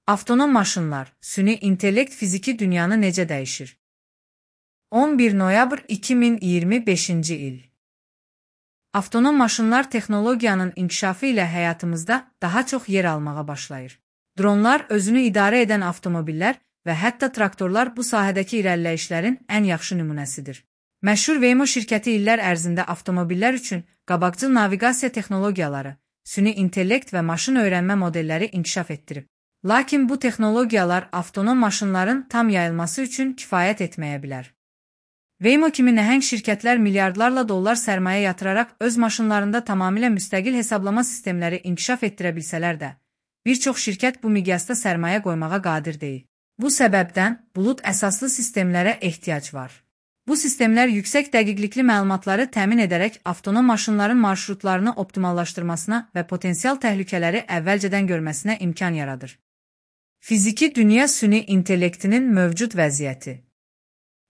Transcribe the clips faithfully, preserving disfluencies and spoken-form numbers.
Avtonom maşınlar, süni intellekt fiziki dünyanı necə dəyişir? on bir noyabr iki min iyirmi beşinci il. Avtonom maşınlar texnologiyanın inkişafı ilə həyatımızda daha çox yer almağa başlayır. Dronlar, özünü idarə edən avtomobillər və hətta traktorlar bu sahədəki irəliləyişlərin ən yaxşı nümunəsidir. Məşhur Waymo şirkəti illər ərzində avtomobillər üçün qabaqcıl naviqasiya texnologiyaları, süni intellekt və maşın öyrənmə modelləri inkişaf etdirib. Lakin bu texnologiyalar avtonom maşınların tam yayılması üçün kifayət etməyə bilər. Waymo kimi nəhəng şirkətlər milyardlarla dollar sərmayə yatıraraq öz maşınlarında tamamilə müstəqil hesablama sistemləri inkişaf etdirə bilsələr də, bir çox şirkət bu miqyasda sərmayə qoymağa qadir deyil. Bu səbəbdən bulut əsaslı sistemlərə ehtiyac var. Bu sistemlər yüksək dəqiqlikli məlumatları təmin edərək avtonom maşınların marşrutlarını optimallaşdırmasına və potensial təhlükələri əvvəlcədən görməsinə imkan yaradır. Fiziki dünya süni intellektinin mövcud vəziyyəti.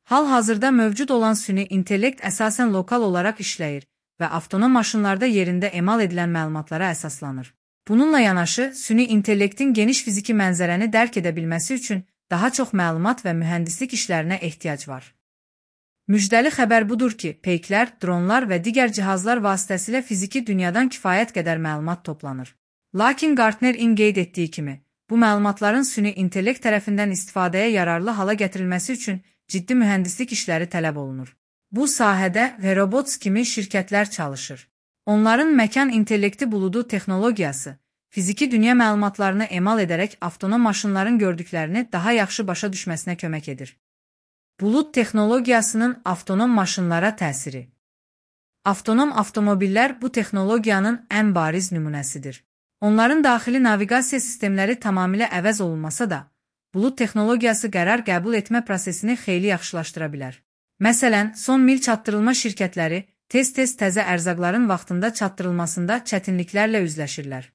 Hal-hazırda mövcud olan süni intellekt əsasən lokal olaraq işləyir və avtonom maşınlarda yerində emal edilən məlumatlara əsaslanır. Bununla yanaşı, süni intellektin geniş fiziki mənzərəni dərk edə bilməsi üçün daha çox məlumat və mühəndislik işlərinə ehtiyac var. Müjdəli xəbər budur ki, peyklər, dronlar və digər cihazlar vasitəsilə fiziki dünyadan kifayət qədər məlumat toplanır. Lakin Gartner-in qeyd etdiyi kimi, bu məlumatların süni intellekt tərəfindən istifadəyə yararlı hala gətirilməsi üçün ciddi mühəndislik işləri tələb olunur. Bu sahədə Verobots kimi şirkətlər çalışır. Onların məkan intellekti buludu texnologiyası, fiziki dünya məlumatlarını emal edərək avtonom maşınların gördüklərini daha yaxşı başa düşməsinə kömək edir. Bulut texnologiyasının avtonom maşınlara təsiri. Avtonom avtomobillər bu texnologiyanın ən bariz nümunəsidir. Onların daxili naviqasiya sistemləri tamamilə əvəz olunmasa da, bulut texnologiyası qərar qəbul etmə prosesini xeyli yaxşılaşdıra bilər. Məsələn, son mil çatdırılma şirkətləri tez-tez təzə ərzaqların vaxtında çatdırılmasında çətinliklərlə üzləşirlər.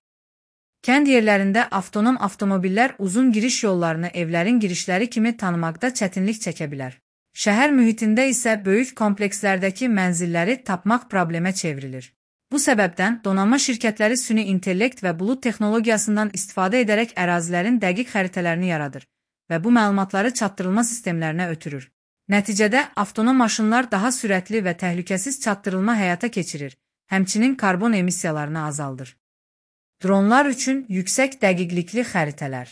Kənd yerlərində avtonom avtomobillər uzun giriş yollarını evlərin girişləri kimi tanımaqda çətinlik çəkə bilər. Şəhər mühitində isə böyük komplekslərdəki mənzilləri tapmaq problemə çevrilir. Bu səbəbdən donanma şirkətləri süni intellekt və bulut texnologiyasından istifadə edərək ərazilərin dəqiq xəritələrini yaradır və bu məlumatları çatdırılma sistemlərinə ötürür. Nəticədə avtonom maşınlar daha sürətli və təhlükəsiz çatdırılma həyata keçirir, həmçinin karbon emissiyalarını azaldır. Dronlar üçün yüksək dəqiqlikli xəritələr.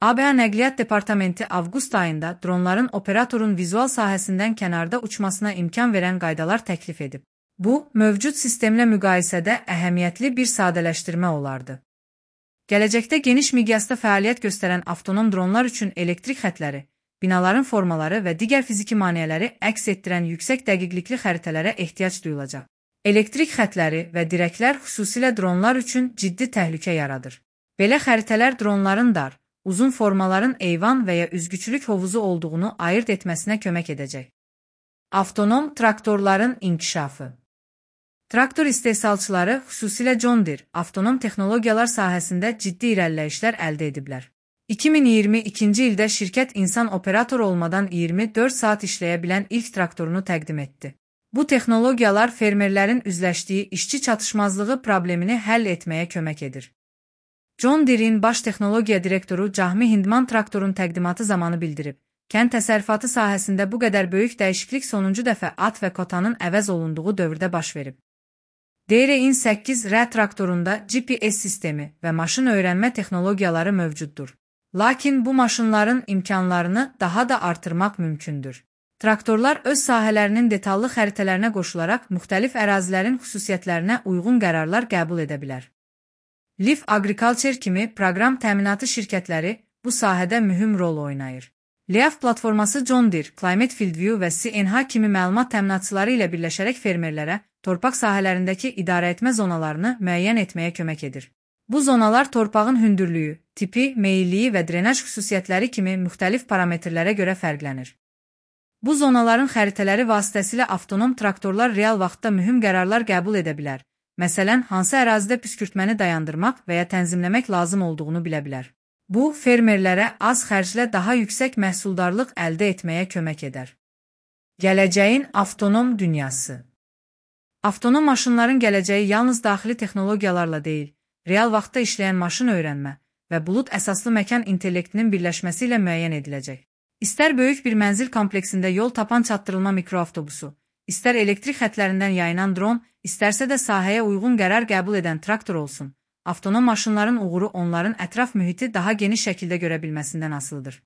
A B A Nəqliyyat Departamenti avqust ayında dronların operatorun vizual sahəsindən kənarda uçmasına imkan verən qaydalar təklif edib. Bu, mövcud sistemlə müqayisədə əhəmiyyətli bir sadələşdirmə olardı. Gələcəkdə geniş miqyasda fəaliyyət göstərən avtonom dronlar üçün elektrik xətləri, binaların formaları və digər fiziki maneələri əks etdirən yüksək dəqiqlikli xəritələrə ehtiyac duyulacaq. Elektrik xətləri və dirəklər xüsusilə dronlar üçün ciddi təhlükə yaradır. Belə xəritələr dronların dar, uzun formaların eyvan və ya üzgüçülük hovuzu olduğunu ayırt etməsinə kömək edəcək. Avtonom traktorların inkişafı. Traktor istehsalçıları, xüsusilə John Deere, avtonom texnologiyalar sahəsində ciddi irəliləyişlər əldə ediblər. iki min iyirmi ikinci ildə şirkət insan operator olmadan iyirmi dörd saat işləyə bilən ilk traktorunu təqdim etdi. Bu texnologiyalar fermerlərin üzləşdiyi işçi çatışmazlığı problemini həll etməyə kömək edir. John Deere'in baş texnologiya direktoru Cahmi Hindman traktorun təqdimatı zamanı bildirib, kənd təsərrüfatı sahəsində bu qədər böyük dəyişiklik sonuncu dəfə at və kotanın əvəz olunduğu dövrdə baş verib. Deere'in səkkiz R traktorunda G P S sistemi və maşın öyrənmə texnologiyaları mövcuddur. Lakin bu maşınların imkanlarını daha da artırmaq mümkündür. Traktorlar öz sahələrinin detallı xəritələrinə qoşularaq müxtəlif ərazilərin xüsusiyyətlərinə uyğun qərarlar qəbul edə bilər. Leaf Agriculture kimi proqram təminatı şirkətləri bu sahədə mühüm rol oynayır. Leaf platforması John Deere, Climate Fieldview və C N H kimi məlumat təminatçıları ilə birləşərək fermerlərə torpaq sahələrindəki idarəetmə zonalarını müəyyən etməyə kömək edir. Bu zonalar torpağın hündürlüyü, tipi, meyilliyi və drenaj xüsusiyyətləri kimi müxtəlif parametrlərə görə fərqlənir. Bu zonaların xəritələri vasitəsilə avtonom traktorlar real vaxtda mühüm qərarlar qəbul edə bilər. Məsələn, hansı ərazidə püskürtməni dayandırmaq və ya tənzimləmək lazım olduğunu bilə bilər. Bu, fermerlərə az xərclə daha yüksək məhsuldarlıq əldə etməyə kömək edər. Gələcəyin avtonom dünyası. Avtonom maşınların gələcəyi yalnız daxili texnologiyalarla deyil, real vaxtda işləyən maşın öyrənmə, və bulud əsaslı məkan intellektinin birləşməsi ilə müəyyən ediləcək. İstər böyük bir mənzil kompleksində yol tapan çatdırılma mikroavtobusu, istər elektrik xətlərindən yayınan dron, istərsə də sahəyə uyğun qərar qəbul edən traktor olsun, avtonom maşınların uğuru onların ətraf mühiti daha geniş şəkildə görə bilməsindən asılıdır.